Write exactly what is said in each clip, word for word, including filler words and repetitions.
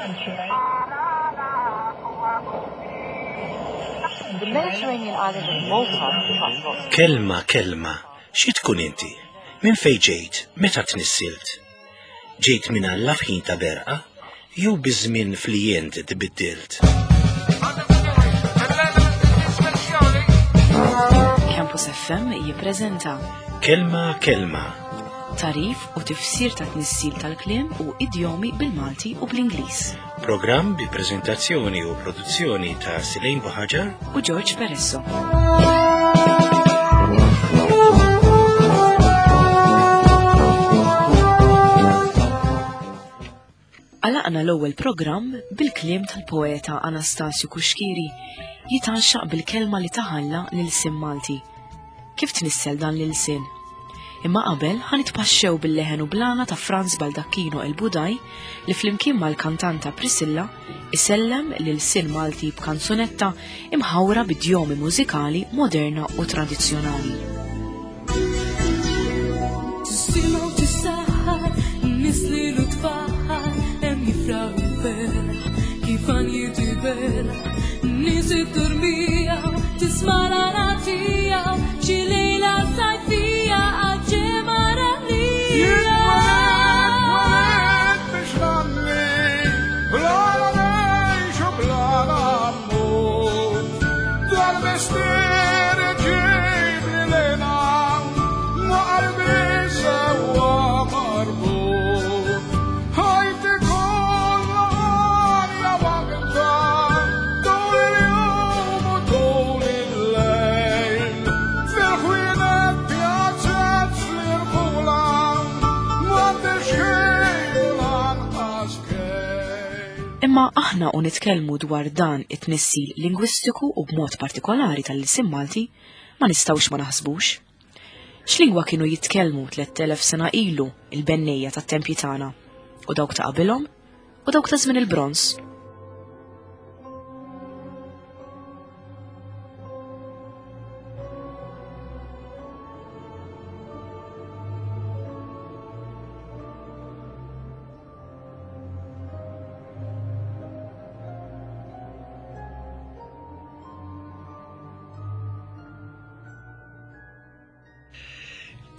The Mediterranean island of Malta attracts lots Kelma, kelma, xi tkun inti? Minn fejn ġejt? Meta tnissilt? Ġejt minn Alla f'ħin ta' berqa? Jew biż-żmien flijent tbiddilt? Campus F M jippreżenta Kelma, kelma, tagħrif u tifsir ta' tnissil tal-kliem u idjomi bil-Malti u bl-Ingliż. Programm bi preżentazzjoni u produzzjoni ta' Silejn Buħaġar u George Peresso. Għalaqna l-ewwel programm bil-kliem tal-poeta Anastasju Cuschieri jitgħaxxaq bil-kelma li taħalla l-ilsien Malti. Kif tnissel dan l-ilsien? Imma qabel ħa nitpaxxew bil-leħen u bl-għana ta' Franz Baldacchino El Budaj li flimkien mal-kantanta Priscilla isellem l-ilsien Malti b'kanzunetta imħawra b'idjomi mużikali moderna u tradizzjonali. Tisima u tissaħħar, nisli u tfaħħar, hemm jifraħ u ferħ, kif għanjiet iberħ, nies id-dormija, tisma' l-għana xi lejla sajfija għal-ġemgħa rallija. Biex nanni, bla ngħix u bla mmut. Dal-mistier ġib li lena, ma qalbi sewa marbut. Ħajti kollha għanja waħda, tul il-jum u tul il-lejl. Fil-ħwienet pjazzet fl-irħula, m'għandix ħin u lanqas kejl. Imma aħna u nitkellmu dwar dan it-tnissil lingwistiku u b'mod partikolari tal-ilsien Malti, ma nistgħux ma naħsbux. X'lingwa kienu jitkellmu tliet elef sena ilu il-bennejja tat-tempji tagħna u dawk ta' qabilhom u dawk ta' żmien il-bronż?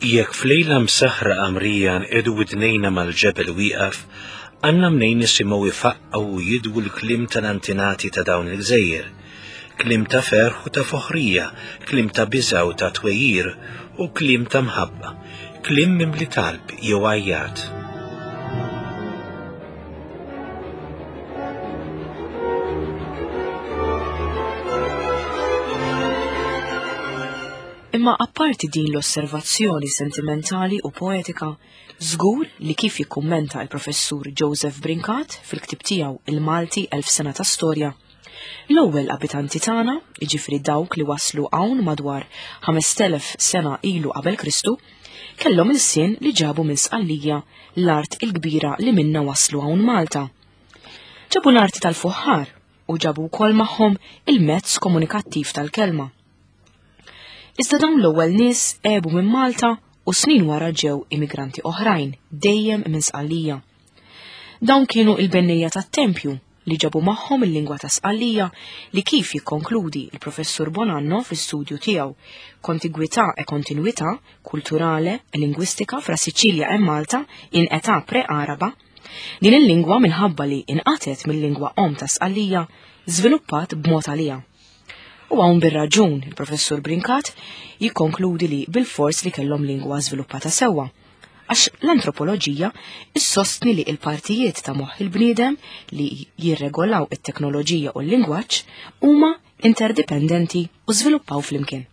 Jekk f'lejla msaħra qamrija nqiegħdu widnejna mal-ġebel wieqaf, għandna mnejn nisimgħu ifaqqgħu u jidwu l-kliem tal-antinati ta' dawn il-gżejjer. Kliem ta' ferħ u ta' foħrija, kliem ta' biża' u ta' twejjir u kliem ta' mħabba, kliem mimli talb jew għajjat. Imma apparti din l-osservazzjoni sentimentali u poetika, żgur li kif jikkummenta il-professur Joseph Brincat fil-ktib tiegħu Il-Malti Elf Sena ta' Storja, l-ewwel abitanti tagħna, jiġifieri dawk li waslu hawn madwar ħamest elef sena ilu qabel Kristu, kellhom ilsien li ġabu minn Sqallija, l-art il-kbira li minna waslu hawn Malta. Ġabu l-arti tal-fuħħar u ġabu wkoll magħhom il-mezz komunikattiv tal-kelma. Iżda dawn l-ewwel nies għebu minn Malta u snin wara ġew immigranti oħrajn, dejjem minn Sqallija. Dawn kienu il-bennejja tat-tempju li ġabu magħhom il-lingwa ta' Sqallija li, kif jikkonkludi il-professur Bonanno fl-istudju tiegħu Kontigwità e kontinuità culturale e linguistica fra Sicilia e Malta in età pre-Araba, din il-lingwa, minħabba li inqatet mill-lingwa om ta' Sqallija, żviluppat b'mod għalija. U hawn bir-raġun il-professur Brincat jikkonkludi li bil-fors li kellhom lingwa żviluppata sewwa. Għax l-antropoloġija issostni li il-partijiet ta' moħħ il-bniedem li jirregolaw it-teknoloġija u l-lingwaġġ huma interdipendenti u żviluppaw flimkien.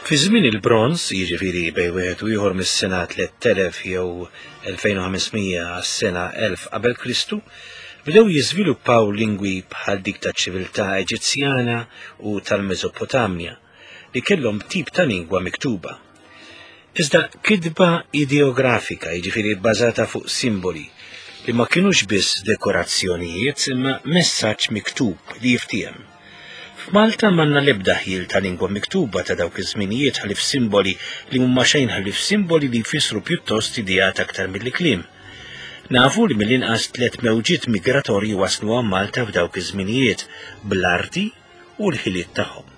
Fi żmien il-bronż, jiġifieri bejn wieħed u ieħor mis-sena tliet elef jew elfejn u ħames mija għas-sena elf qabel Kristu, bdew jiżviluppaw lingwi bħal dik taċ-ċiviltà Eġizzjana u tal-Mesopotamja li kellhom tip ta' lingwa miktuba. Iżda kitba ideografika, jiġifieri bbażata fuq simboli li ma kienux biss dekorazzjonijiet imma messaġġ miktub li jiftiem. F'Malta m'għandna l-ebda ħjiel ta' lingwa miktuba ta' dawk iż-żminijiet ħlief simboli li huma xejn ħlief simboli li jfissru pjuttost ideat aktar milli kliem. Nafu li mill-inqas tliet mewġiet migratorji waslu għal Malta f'dawk iż-żminijiet bl-arti u l-ħiliet tagħhom,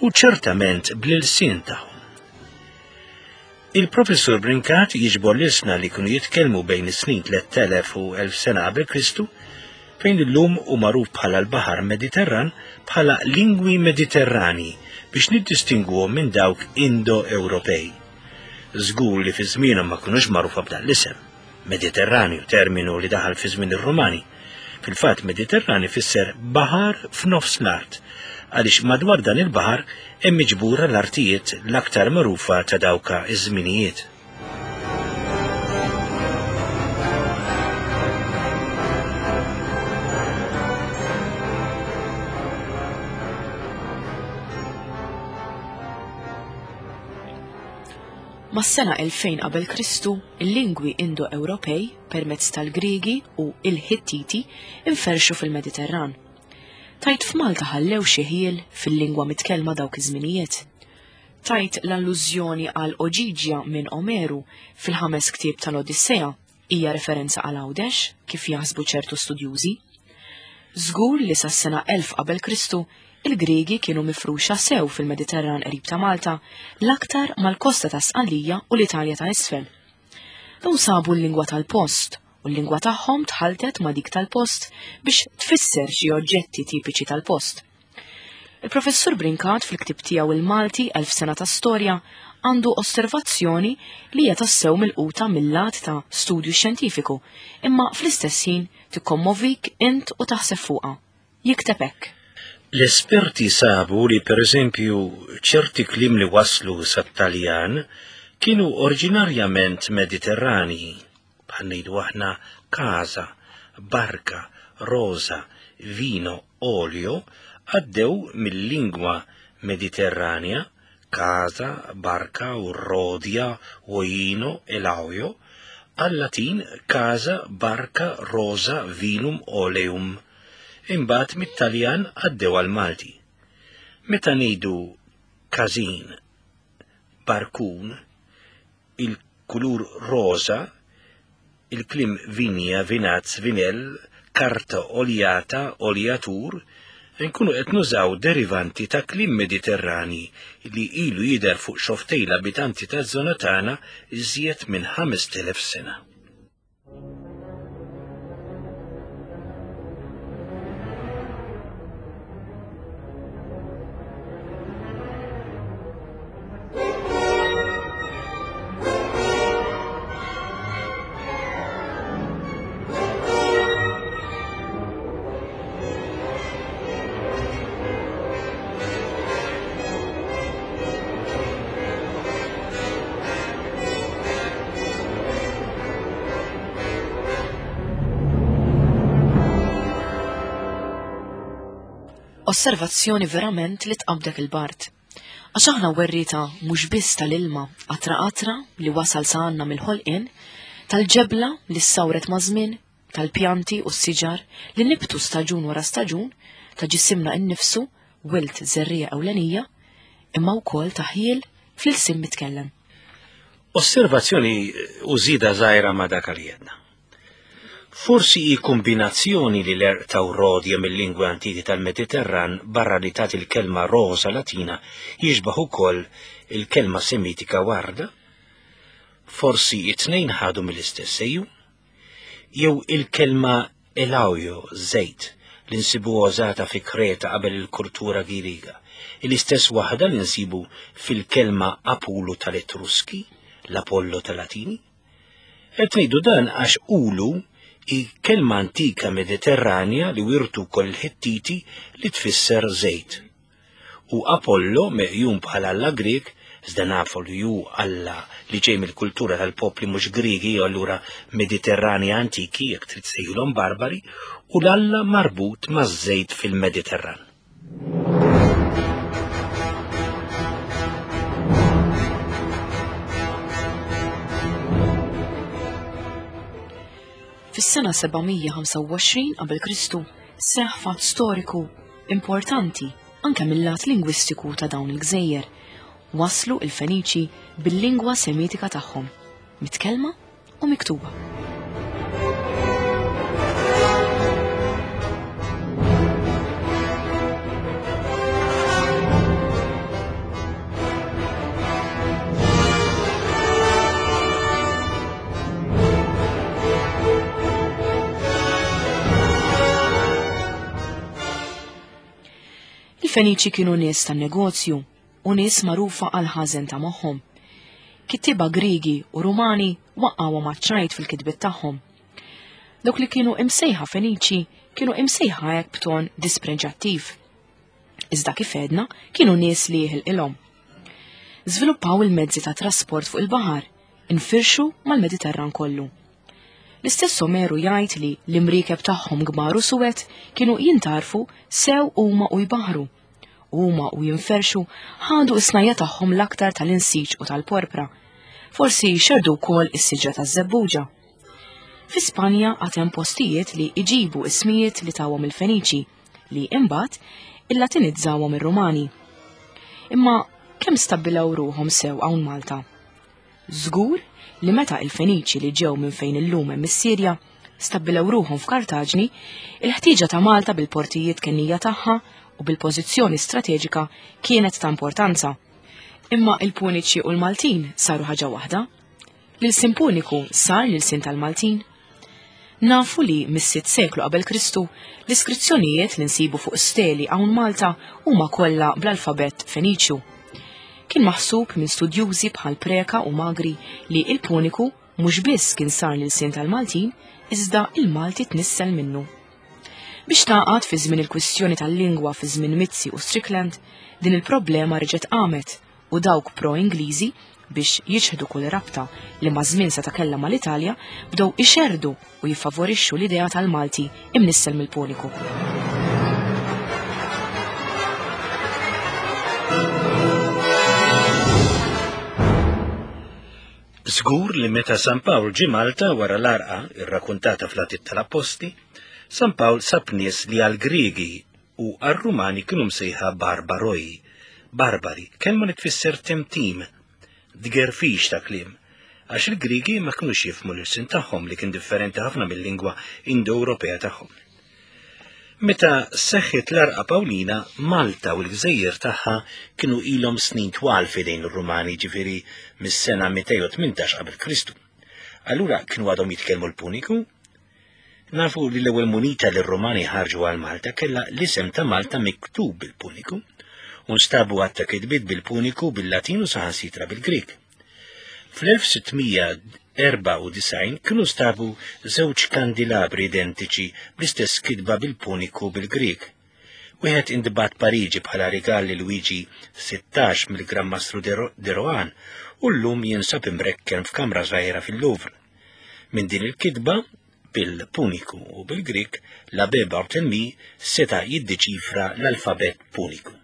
u ċertament bl-ilsien tagħhom. Il-Professur Brincat jiġbor l-ilsna li kienu jitkellmu bejn is-snin tliet elef u elf sena qabel Kristu, fejn illum hu magħruf bħala l-Baħar Mediterran bħala lingwi Mediterrani biex niddistingwuhom minn dawk Indo-Ewropej. Żgur li fi żmienhom ma kinux magħrufa b'dan l-isem. Mediterranju, terminu li daħal fi żmien ir-Rumani. Fil-fatt Mediterrani fisser baħar f'nofs l-art, għaliex madwar dan il-baħar hemm miġbura l-artijiet l-aktar magħrufa ta' dawka iż-żminijiet. Mas-sena elfejn qabel Kristu, il-lingwi Indo-Ewropej permezz tal-Griegi u il-Ħittiti inferxu fil-Mediterran. Tajt f'Malta ħallew xi ħjiel fil-lingwa mitkellma dawk iż-żminijiet. Tajt l-allużjoni għal Oġiġja minn Omeru fil-ħames ktieb tal-Odissea hija referenza għal Għawdex kif jaħsbu ċertu studjużi. Żgur li sas-sena elf qabel Kristu il-Griegi kienu mifruxa sew fil-Mediterran qrib ta' Malta, l-aktar mal-kosta ta' Sqallija u l-Italja ta' isfel. Dawn sabu l-lingwa tal-post u l-lingwa tagħhom tħaltet ma' dik tal-post biex tfisser xi oġġetti tipiċi tal-post. Il-Professur Brincat fil-ktieb tiegħu Il-Malti Elf Sena ta' Storja għandu osservazzjoni li hija tassew milquta mill-lat ta' studju xjentifiku, imma fl-istess ħin tikkommovik int u taħseb fuqha. Jikteb hekk. L-esperti sabu li per eżempju ċerti kliem li waslu sat-Taljan kienu oriġinarjament Mediterrani, bħal ngħidu aħna casa, barca, rosa, vino, olio, għaddew mill-lingwa Mediterranja, casa, barca, u rodia, oino, elauio, għal-Latin casa, barca, rosa, vinum, oleum. Imbagħad mit-Taljan għaddew għal-Malti. Meta ngħidu każin, barkun, il-kulur rosa, il-kliem vinja, vinazz, vinell, karta oljata, oljatur, nkunu qed nużaw derivanti ta' kliem Mediterrani li ilu jidher fuq xoftej l-abitanti taż-żona tagħna iżjed minn ħamest elef sena. Osservazzjoni verament li tqabdek il-bart. Għax aħna werrieta mhux biss tal-ilma qatra qatra li wasal sa għandna mill-ħolqien, tal-ġebla li ssawret ma' żmien, tal-pjanti u s-siġar li nibtu staġun wara staġun, ta' ġisimna innifsu, wilt żerriegħa ewlenija, imma wkoll ta' ħjiel fl-ilsien mitkellem. Osservazzjoni u żieda żgħira ma' dak li għedna. Forsi hi kombinazzjoni li l-erq ta' rodja mill-lingwi antiki tal-Mediterran barra li tagħti l-kelma rosa Latina jixbaħ ukoll il-kelma Semitika warda? Forsi it-tnejn ħadu mill-istess sejju? Jew il-kelma elaujo, żejt, li nsibu użata fi Kreta qabel il-kultura Griega, l-istess waħda li nsibu fil-kelma Apollo tal-Etruski, l-Apollo tal-Latini? Qed ngħidu dan għax ulu i kelma antika Mediterranja li wirtu kol il-Ħittiti li tfisser żejt. U Apollo meqjum bħala alla Grek, iżda nafu li hu alla li ġej mill-kultura tal-popli mhux Griegi u allura Mediterranja antiki, jekk trid sejħilhom barbari, u l-alla marbut maż-żejt fil-Mediterran. Fis-sena seba' mija ħamsa u għoxrin qabel Kristu seħħ fatt storiku importanti anke mill-lat lingwistiku ta' dawn il-gżejjer. Waslu il-Feniċi bil-lingwa semitika tagħhom, mitkellma u miktuba. Il-Feniċi kienu nies tan-negozju u nies magħrufa għal ħażen ta' moħħhom. Kittieba Griegi u Rumani waqgħu maċ-ċajt fil-kitbiet tagħhom. Dawk li kienu imsejħa Feniċi kienu imsejħa hekk b'ton dispreġattiv. Iżda kif għedna kienu nies li jħilqilhom. Żviluppaw il-mezzi ta' trasport fuq il-baħar, infirxu mal-Mediterran kollu. L-istess Omeru jgħid li l-imriekeb tagħhom kbar u suwed kienu jintarfu sew huma u jbaħru. Huma u jinferxu ħadu is-snajja tagħhom l-aktar tal-insiġ u tal-porpra. Forsi xerdu wkoll is-siġra taż-żebbuġa. Fi Spanja għad hemm postijiet li iġibu ismijiet li tawhom il-Feniċi li imbagħad illatinizzawhom ir-Rumani. Imma kemm stabbilaw ruħhom sew hawn Malta? Żgur li meta il-Feniċi li ġew minn fejn illum hemm is-Sirja stabbilew ruħhom f'Kartaġni, il-ħtieġa ta' Malta bil-portijiet kennija tagħha u bil-pożizzjoni strateġika kienet ta' importanza. Imma il-Puniċi u l-Maltin saru ħaġa waħda. L-ilsien Puniku sar l-ilsien tal-Maltin. Nafu li mis-sitt seklu qabel Kristu l-iskrizzjonijiet li nsibu fuq steli hawn Malta huma kollha bl-alfabett Feniċju. Kien maħsub minn studjużi bħal Preka u Magri li il-Puniku mhux biss kien sar l-ilsien tal-Maltin, iżda il-Malti tnissel minnu. Biex taqgħad fi żmien il-kwistjoni tal-lingwa fi żmien Mizzi u Strickland, din il-problema reġgħet qamet u dawk pro-Ingliżi biex jiċħdu kull rabta li ma' żmien seta' kellha mal-Italja bdew ixerdu u jiffavorixxu l-idea tal-Malti imnissel mill-Puniku. Żgur li meta San Pawl ġie Malta wara l-arqa irrakkuntata fl-Atti tal-Appostli, San Pawl sab nies li għall-Griegi u għar-Rumani kienu msejħa barbaroi, barbari, kelma li tfisser temtim, dgerfix ta' kliem, għax il-Griegi ma kinux jifhmu l-ilsien tagħhom li kien differenti ħafna mill-lingwa Indo-Ewropea tagħhom. Meta seħħet l-arqa Pawlina, Malta u l-gżejjer tagħha kienu ilhom snin twal f'idejn ir-Rumani, ġifieri mis-sena mitejn u tmintax qabel Kristu. Allura kienu għadhom jitkellmu l-Puniku? Nafu li l-ewwel munita li r-Rumani ħarġu għal Malta kellha l-isem ta' Malta miktub bil-Puniku, u nstabu għadd ta' kitbiet bil-Puniku, bil-Latin u saħansitra bil-Grieg. Fl-elf sittmija erbgħa u disgħin kienu stabu żewġ kandilabri identiċi bl-istess kitba bil-Puniku bil-Grieg. Wieħed intbagħat Pariġi bħala rigal lil Luigi sittax mill-Gran Mastru de Rohan u llum jinsab imrekken f'kamra żgħira fil-Louvre. Minn din il-kitba bil-Puniku u bil-Grieg, l-Abbé Barthélemy seta' jiddeċifra l-alfabet Puniku.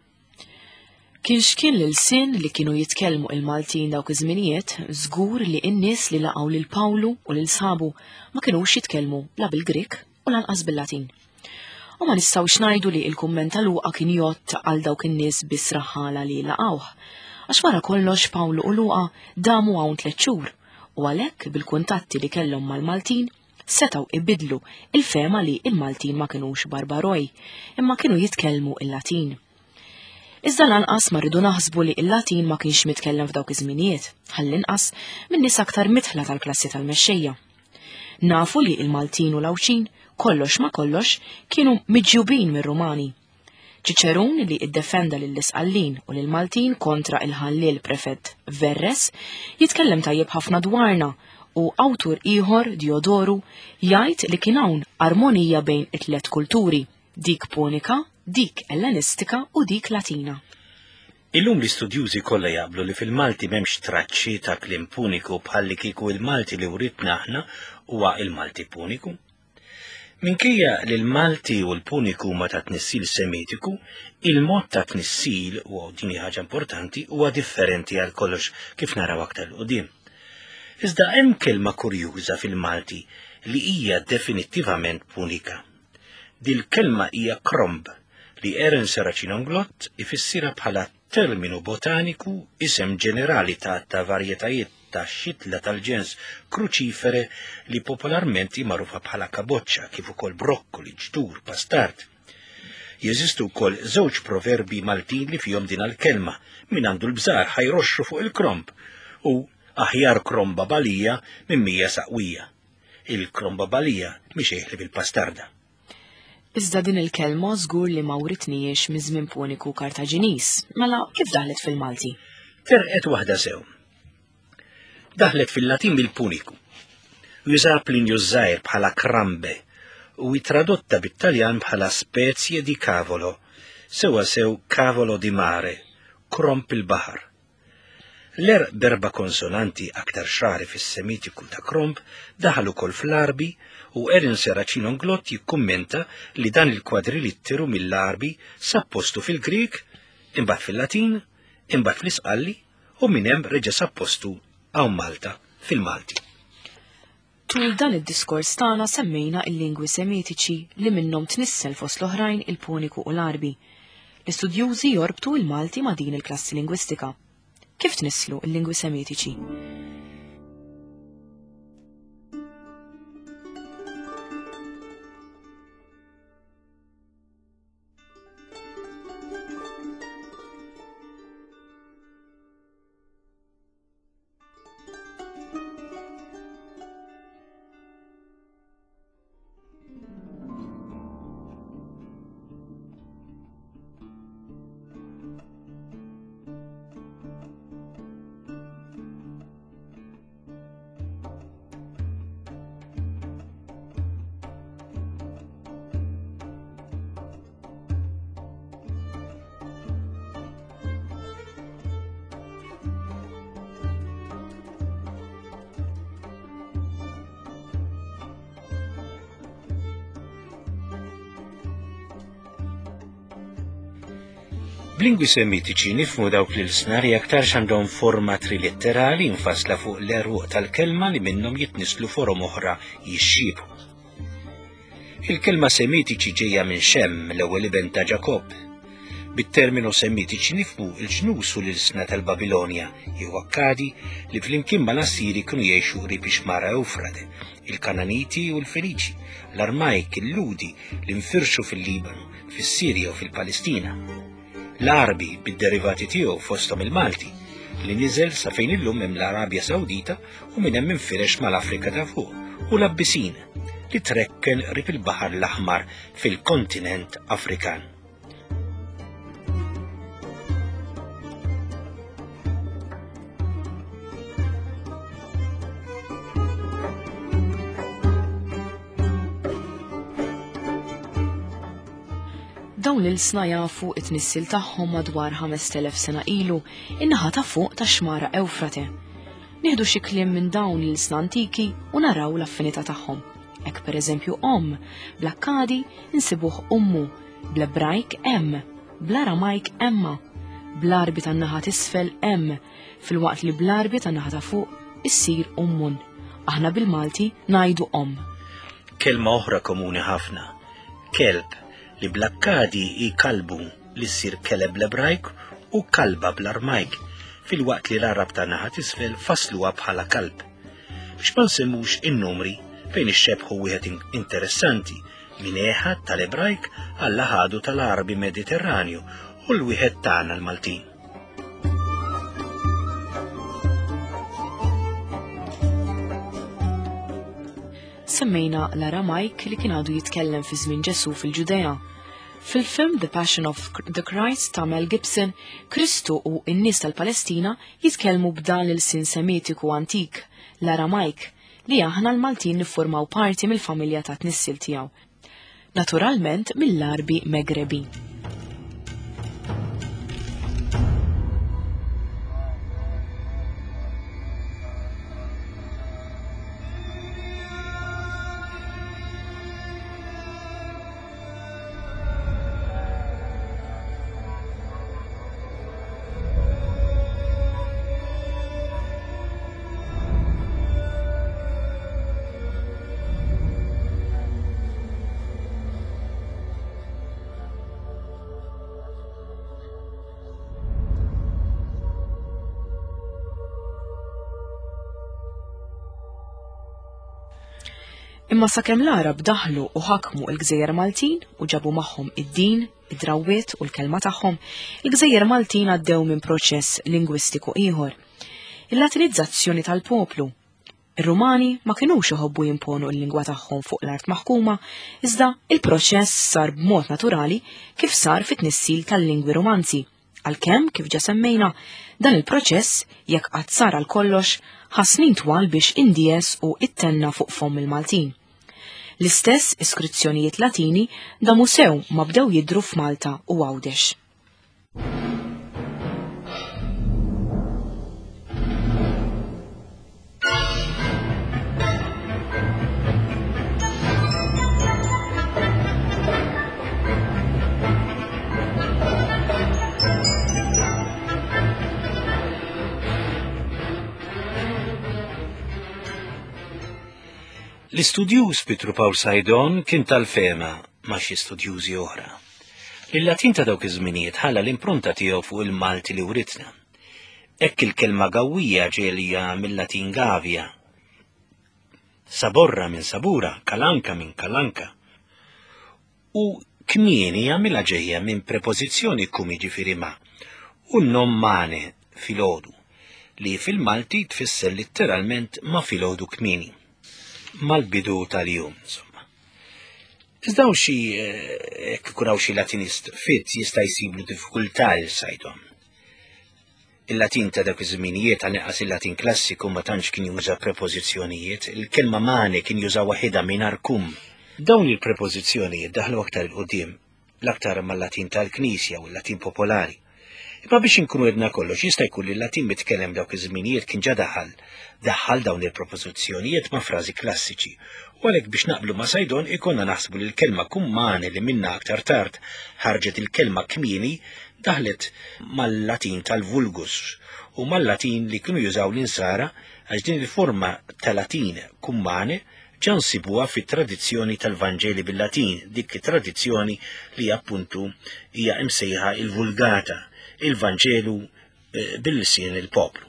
Kien x'kien l-ilsien li kienu jitkellmu il-Maltin dawk iż-żminijiet, żgur li n-nies li laqgħu lil Pawlu u lil sħabu ma kinux jitkellmu la bil-Grieg u lanqas bil-Latin. U ma nistgħux ngħidu li l-kumment ta' Luqa kien jgħodd għal dawk in-nies biss raħala li laqgħuh, għax wara kollox Pawlu u Luqa damu hawn tliet xhur u għalhekk bil-kuntatti li kellhom mal-Maltin setgħu ibidlu il-fema li il-Maltin ma kinux barbaroj, imma kienu jitkellmu il-Latin. Iżda lanqas ma rridu naħsbu li il-Latin ma kienx mitkellem f'dawk iż-żminijiet, ħallinqas minn nies aktar mitħla tal-klassi tal-mexxejja. Nafu li il-Maltin u l-Għawdxin kollox ma kollox kienu miġjubin mir-Rumani. Ċiċerun li iddefenda lill-Isqallin u lill-Maltin kontra il-ħalliel prefett Verres jitkellem tajjeb ħafna dwarna u awtur ieħor Diodoru jgħid li kien hawn armonija bejn it-tliet kulturi, dik Punika, dik Ellenistika u dik Latina. Illum l-istudjużi kollha jaqblu li fil-Malti m'hemmx traċċi ta' kliem Puniku bħalli kieku il-Malti li writna aħna huwa il-Malti Puniku. Minkejja li l-Malti u l-Puniku huma ta' tnissil Semitiku, il-mod ta' tnissil, u din hi ħaġa importanti, huwa differenti għal kollox kif naraw aktar 'l quddiem. Iżda hemm kelma kurjuża fil-Malti li hija definittivament Punika. Dil-kelma hija kromb, li Aaron Serracino Inglott ifissira bħala terminu botaniku, isem ġenerali ta' ta' varjetajiet ta' xitla tal-ġens kruċifere li popolarment magħrufa bħala kaboċċa, kif ukoll brokkoli, ġdur, pastard. Jeżistu wkoll żewġ proverbi Maltin li fihom din il-kelma: min għandu l-bżar ħajroxxu fuq il-kromb u aħjar kromba balija minn mija saqwija. Il-kromba balija mhix eħli bil-pastarda. Iżda din il-kelma żgur li ma writniex miż-żmien Puniku Kartaġiniż, mela kif daħlet fil-Malti? Terqet waħda sew. Daħlet fil-Latin bil-Puniku. Juża Plinju żgħir bħala krambe u tradotta bit-Taljan bħala spezie di cavolo, sewa sew cavolo di mare, kromp il-baħar. L-er berba konsonanti aktar xari fis-Semitiku ta' kromp daħal ukoll fl-Arbi u Erin Serracino Inglott jikkummenta li dan il-kwadrilitteru mill-Arbi sappostu fil-Grieg, imbagħad fil-Latin, imbagħad fl-Isqalli u minn hemm reġa' sappostu hawn Malta fil-Malti. Tul dan id-diskors tagħna semmejna il-lingwi Semitiċi li minnhom tnissel fost l-oħrajn il-Puniku u l-Arbi. L-istudjużi jorbtu il-Malti ma' din il-klassi lingwistika. Kif tnisslu l-lingwi Semitiċi? B'lingwi Semitiċi nifhmu dawk l-ilsna li aktarx għandhom forma trilitterali infasla fuq l-eruq tal-kelma li minnhom jitnislu forom oħra jixxiebhu. Il-kelma Semitiċi ġejja minn Xem, l-ewwel iben ta' Ġakobb. Bit-terminu Semitiċi nifhmu l-ġnus u l-ilsna tal-Babilonja jew Akkadi li flimkien mal-Assiri kienu jgħixu qrib ix-xmara Ewfrate, il-Kananiti u l-Feniċi, l-Armajk, il-Ludi li nfirxu fil-Libanu, fis-Sirja u fil-Palestina. L-Arbi bid-derivati tiegħu fosthom il-Malti li niżel sa fejn illum hemm l-Arabja Sawdita u minn hemm infirex mal-Afrika ta' fuq, u l-Abbisin li trekken qrib il-Baħar l-Aħmar fil-kontinent Afrikan. Dawn l-ilsna jafu it-tnissil tagħhom madwar ħamest elef sena ilu in-naħa ta' fuq ta' xmara Ewfrate. Nieħdu xi kliem minn dawn l-ilsna antiki u naraw l-affinità tagħhom. Hekk pereżempju om, bl-Akkadi insibuh ummu, bl-Ebrajk em, bl-Aramajk emma, bl-Arbi tan-naħa t'isfel em, filwaqt li bl-Arbi tan-naħa ta' fuq issir ummun. Aħna bil-Malti ngħidu om. Kelma oħra komuni ħafna, kelb, li bl-Akkadi hi kalbu li ssir keleb bl-Ebrajk u kalba bl-Armajk, filwaqt li l-Arab ta' naħa t'isfel fasluha bħala kalb. Biex ma nsemmux in-numri fejn ixxebħu wieħed interessanti minn eħad tal-Ebrajk għall ħadu tal-Arbi Mediterranju u l-wieħed tagħna l-Maltin. Semmejna l-Aramajk li kien għadu jitkellem fi żmien Ġesu fil-Ġudea. Fil-film The Passion of the Christ ta' Mel Gibson, Kristu u n-nies tal-Palestina jitkellmu b'dan l-sin Semitiku antik, l-Aramajk, li aħna l-Maltin niffurmaw parti mill-familja ta' tnissil tiegħu. Naturalment mill-Arbi Megrebi. Imma sakemm l-Għarab daħlu u ħakmu l-Gżejjer Maltin u ġabu magħhom id-din, id-drawwiet u l-kelma tagħhom, il-Gżejjer Maltin għaddew minn proċess lingwistiku ieħor. Il-Latinizzazzjoni tal-poplu. Ir-Rumani ma kinux iħobbu jimponu l-lingwa tagħhom fuq l-art maħkuma, iżda il-proċess sar b'mod naturali kif sar fit-tnissil tal-lingwi Romanzi. Għalkemm, kif ġa semmejna, dan il-proċess, jekk qatt sar għal kollox, ħa snin twal biex indies u ittenna fuq fomm il-Maltin. L-istess iskrizzjonijiet Latini damu sew ma bdew jidhru f'Malta u Għawdex. L-istudjuż Pietru Pawl Saydon kien tal-fehma ma' xi studjużi oħra. Il-Latin ta' dawk iż-żminijiet ħalla l-impronta tiegħu fuq il-Malti li writna. Hekk il-kelma gawwija ġejja mill-Latin gavia, saborra minn sabura, kalanka minn kalanka. U kmieni għamilha ġejja minn prepożizzjoni kum jiġifieri ma, u n-nom mane filgħodu, li fil-Malti tfisser litteralment ma' filgħodu kmieni, mal-bidu tal-jum, insomma. Iżda hawn xi jekk ikun hawn xi Latinist fit jista' jsiblu diffikultà lil Saydon. Il-Latin ta' dak iż-żminijiet, għal-inqas il-Latin klassiku, ma tantx kien juża prepożizzjonijiet, il-kelma mane kien juża waħedha mingħajr kum. Dawn il-prepożizzjonijiet daħlu aktar 'il quddiem, l-aktar mal-Latin tal-Knisja u l-Latin popolari. Imma biex inkunu edna kollox, jista' jkun li l-Latin mitkellem dawk iż-żminijiet kien ġa daħal, daħal dawn il-propożizzjonijiet ma' frażi klassiċi. U għalhekk biex naqblu ma' Saydon ikonna naħsbu li l-kelma kummane li minna aktar tard ħarġet il-kelma kmieni daħlet mal-Latin tal-vulgus u mal-Latin li kienu jużaw l-insara, għax din il-forma tal-Latin kummane ġa nsibuha fit-tradizzjoni tal-Vanġeli bil-Latin, dik it-tradizzjoni li appuntu hija imsejħa il-Vulgata, il-Vanġelu bil-lisien il-poplu.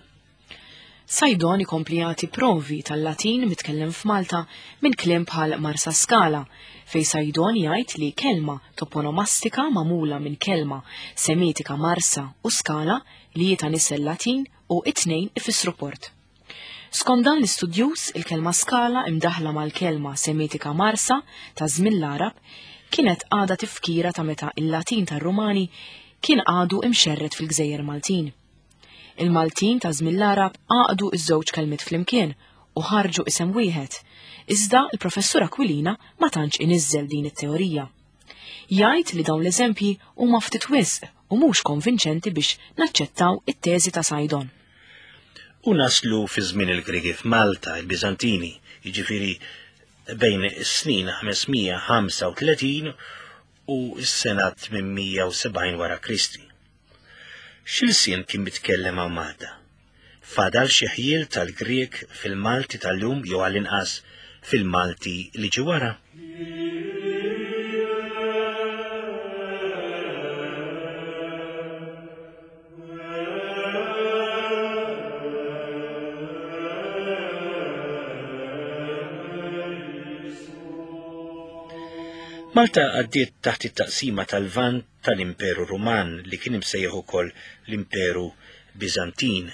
Saydon ikompli jagħti provi tal-Latin mitkellem f'Malta minn kliem bħal Marsa Skala, fej Saydon jgħid li kelma toponomastika magħmula minn kelma semitika Marsa u Skala li hi ta' nisel Latin u it-tnejn ifissru port. Skont dan l-istudjuż, il-kelma Skala imdaħla mal-kelma semitika Marsa ta' żmien l-Għarab kienet għadha tifkira ta' meta il-Latin tar-Rumani kien għadu imxerred fil-Gżejjer Maltin. Il-Maltin ta' żmien l-Għarab għaqdu iż-żewġ kelmiet flimkien u ħarġu isem wieħed, iżda l-professur Aquilina ma tantx iniżżel din it-teorija. Jgħid li dawn l-eżempji huma ftit wisq u mhux konvinċenti biex naċċettaw it-teżi ta' Saydon. U naslu fi żmien il-Griegi f'Malta, il-Biżantini, jiġifieri bejn is-snin ħamesmija ħamsa u tletin u s-sena tmienmija u sebgħin wara Kristi. X'ilsien kien mitkellem hawn Malta? Fadal xi ħjiel tal-Grieg fil-Malti tal-lum jew għall-inqas fil-Malti li ġie wara? Malta għaddiet taħt it-taqsima tal-Lvant tal-Imperu Ruman li kien imsejjaħ ukoll l-Imperu Biżantin,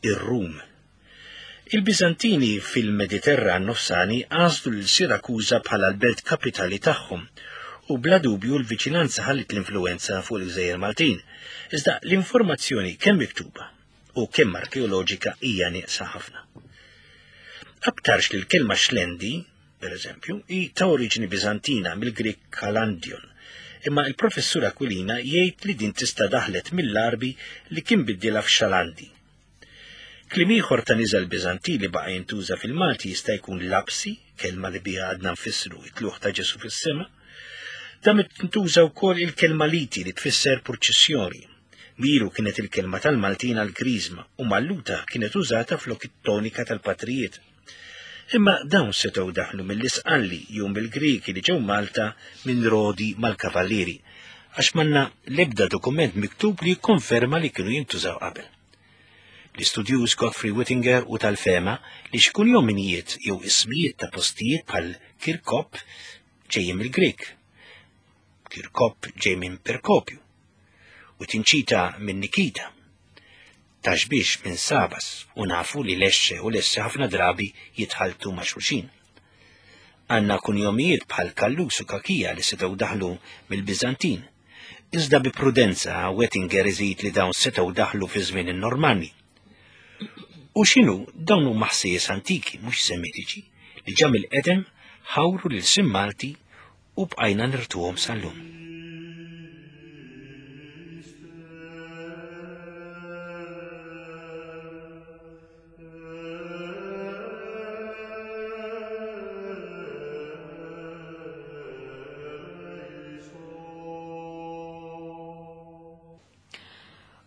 ir-Rum. Il-Biżantini fil-Mediterran nofsani għażlu lil Sirakuża bħala l-belt kapitali tagħhom u bla dubju l-viċinanza ħallit l-influenza fuq il-Gżejjer Maltin. Iżda l-informazzjoni kemm miktuba u kemm arkeoloġika hija nieqsa ħafna. Aktarx li l-kelma xlendi, per eżempju, hi ta' oriġini Biżantina mill-Grik Kalandion, imma il-professur Aquilina jgħid li din tista' daħlet mill-Arbi li kien biddilha f'Xalandi. Kliem ieħor ta' niżel Biżanti li baqa' jintuża fil-Malti jista' jkun lapsi, kelma li biha għadna nfissru it-tluħ ta' Ġesu fis-sema. Dan tintuża wkoll il-kelma liti li tfisser purċissjoni. Miru kienet il-kelma tal-Maltin għall-Griżma u Malluta kienet użata flok it-tonika tal-patrijiet. Imma dawn setgħu daħlu mill-Isqalli jew mill-Griegi li ġew Malta minn Rodi mal-Kavallieri, għax m'għandna l-ebda dokument miktub li jikkonferma li kienu jintużaw qabel. L-istudjuż Godfrey Wittinger u tal-fema li xi kunjomijiet jew ismijiet ta' postijiet bħal Kirkop ġejjin mill-Grek. Kirkop ġej minn Perkopju u Tinċita minn Nikita. Taxbix minn Sabas u nafu li Lexxe u Lesse ħafna drabi jitħaltu ma' xulxin. Għanna kunjomijiet bħal Kallus u Kakija li setgħu daħlu mill-Biżantin. Iżda bi prudenza Wettinger iżid li dawn setgħu daħlu fi żmien in-Normanni. U x'inhu dawn huma ħsejjes antiki mhux semitiċi li ġa mill-qedem ħawru lil sim Malti u bqajna nirtuhom sal-lum.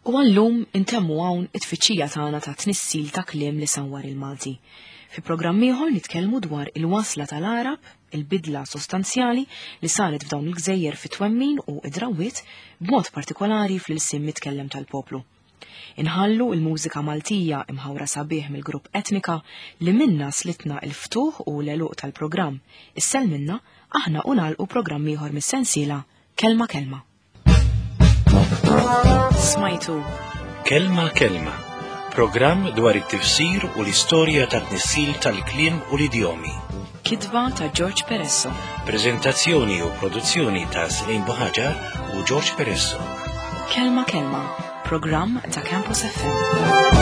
U għallum intemmu hawn it-tfittxija tagħna ta' tnissil ta' kliem li sanwar il-Malti. Fi programm ieħor nitkellmu dwar il-wasla tal-Arab, il-bidla sostanzjali li saret f'dawn il-gżejjer fit-twemmin u id-drawwiet b'mod partikolari fl-ilsien mitkellem tal-poplu. Inħallu il-mużika Maltija imħawra sabiħ mill-grupp Etnika li minna slitna il-ftuħ u l-għeluq tal-programm. Issel minna aħna u nagħlqu programm ieħor mis-sensiela Kelma Kelma. Smajtu Kelma Kelma, programm dwar it-tifsir u l-istorja tat-tnissil tal-kliem u l-idjomi. Kitba ta' George Peresso. Prezentazzjoni u produzzjoni ta' Selin Buħaġar u George Peresso. Kelma Kelma, programm ta' Campus F M.